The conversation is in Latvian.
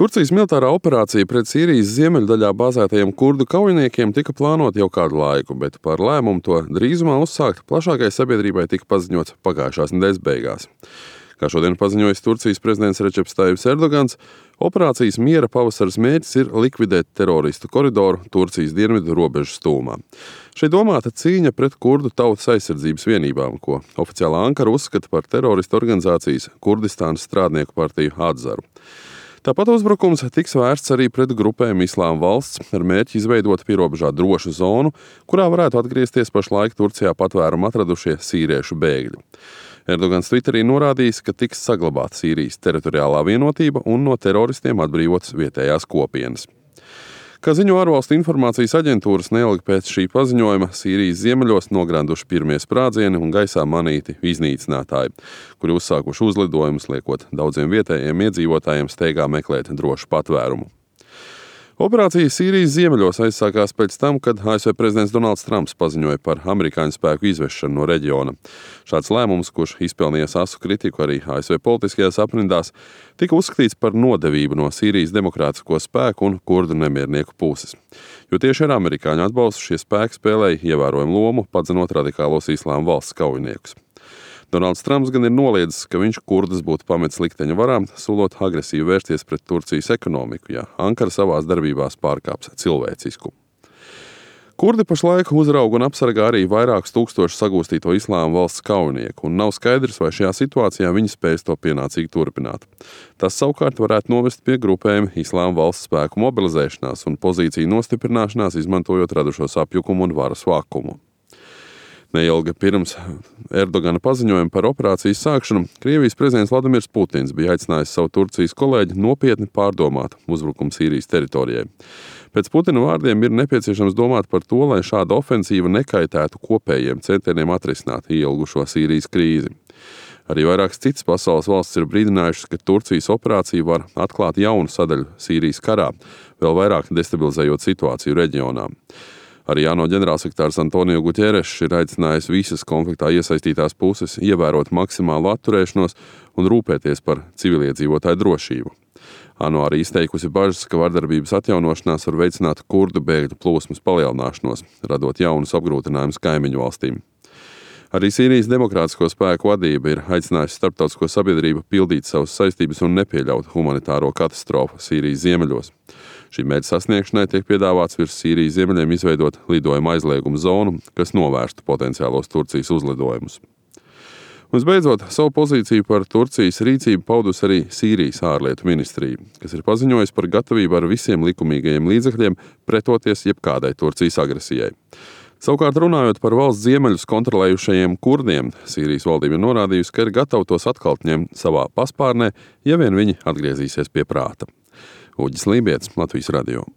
Turcijas militārā operācija pret Sīrijas ziemeļdaļā bāzētajiem kurdu kaujiniekiem tika plānota jau kādu laiku, bet par lēmumu to drīzumā uzsākt plašākai sabiedrībai tika paziņots pagājušās nedēļas beigās. Kā šodien paziņojis Turcijas prezidents Receps Tajibs Erdogans, operācijas miera pavasaras mērķis ir likvidēt teroristu koridoru Turcijas dienvidu robežas tūmā. Šeit domāta cīņa pret kurdu tautas aizsardzības vienībām, ko oficiālā Ankara uzskata par teroristu organizācijas Kurdistānas strādnieku partiju Atzaru. Tāpat uzbrukums tiks vērsts arī pret grupējumu Islāma valsts ar mērķi izveidot pierobežā drošu zonu, kurā varētu atgriezties pašlaik Turcijā patvērumu atradušie sīriešu bēgļi. Erdogans Twitterī norādījis, ka tiks saglabāta Sīrijas teritoriālā vienotība un no teroristiem atbrīvotas vietējās kopienas. Kā ziņo ārvalstu informācijas aģentūras, neilgi pēc šī paziņojuma Sīrijas ziemeļos nogranduši pirmie sprādzieni un gaisā manīti iznīcinātāji, kuri uzsākuši uzlidojumus, liekot daudziem vietējiem iedzīvotājiem steigā meklēt drošu patvērumu. Operācija Sīrijas ziemeļos aizsākās pēc tam, kad ASV prezidents Donalds Trumps paziņoja par amerikāņu spēku izvešanu no reģiona. Šāds lēmums, kurš izpelnījās asu kritiku arī ASV politiskajās aprindās, tika uzskatīts par nodevību no Sīrijas demokrātisko spēku un kurdu nemiernieku puses. Jo tieši ar amerikāņu atbalstu šie spēki spēlēja ievērojumu lomu, padzenot radikālos Islāma valsts kaujiniekus. Donalds Trumps gan ir noliedzis, ka viņš kurdus būtu pametis likteņa varām, solot agresīvi vērsties pret Turcijas ekonomiku, ja Ankara savās darbībās pārkāps cilvēcisku. Kurdi pašlaik uzrauga un apsargā arī vairākus tūkstošus sagūstīto Islāma valsts kaujinieku, un nav skaidrs, vai šajā situācijā viņi spēs to pienācīgi turpināt. Tas savukārt varētu novest pie grupējuma Islāma valsts spēku mobilizēšanās un pozīciju nostiprināšanās, izmantojot radušos apjukumu un varas vakumu. Neilgi pirms Erdogana paziņojuma par operācijas sākšanu, Krievijas prezidents Vladimirs Putins bija aicinājis savu Turcijas kolēģi nopietni pārdomāt uzbrukumu Sīrijas teritorijai. Pēc Putina vārdiem ir nepieciešams domāt par to, lai šāda ofensīva nekaitētu kopējiem centieniem atrisināt ilgušo Sīrijas krīzi. Arī vairākas citas pasaules valstis ir brīdinājušas, ka Turcijas operācija var atklāt jaunu sadaļu Sīrijas karā, vēl vairāk destabilizējot situāciju reģionā. Arī ANO ģenerālsekretārs Antonio Guterres ir aicinājis visas konfliktā iesaistītās puses ievērot maksimālu atturēšanos un rūpēties par civiliedzīvotāju drošību. ANO arī izteikusi bažas, ka vardarbības atjaunošanās var veicināt kurdu bēgļu plūsmas palielināšanos, radot jaunus apgrūtinājumus kaimiņu valstīm. Arī Sīrijas demokrātisko spēku vadība ir aicinājusi starptautisko sabiedrību pildīt savas saistības un nepieļaut humanitāro katastrofu Sīrijas ziemeļos. Šī mērķa sasniegšanai tiek piedāvāts virs Sīrijas ziemeļiem izveidot lidojuma aizlieguma zonu, kas novērstu potenciālos Turcijas uzlidojumus. Un visbeidzot, savu pozīciju par Turcijas rīcību paudus arī Sīrijas ārlietu ministrija, kas ir paziņojis par gatavību ar visiem likumīgajiem līdzekļiem pretoties jebkādai Turcijas agresijai. Savukārt runājot par valsts ziemeļus kontrolējušajiem kurdiem, Sīrijas valdība ir norādījusi, ka ir gatava tos atkal ņemt savā paspārnē, ja vien viņi atgriezīsies pie prāta. Uģis Lībietis, Latvijas radio.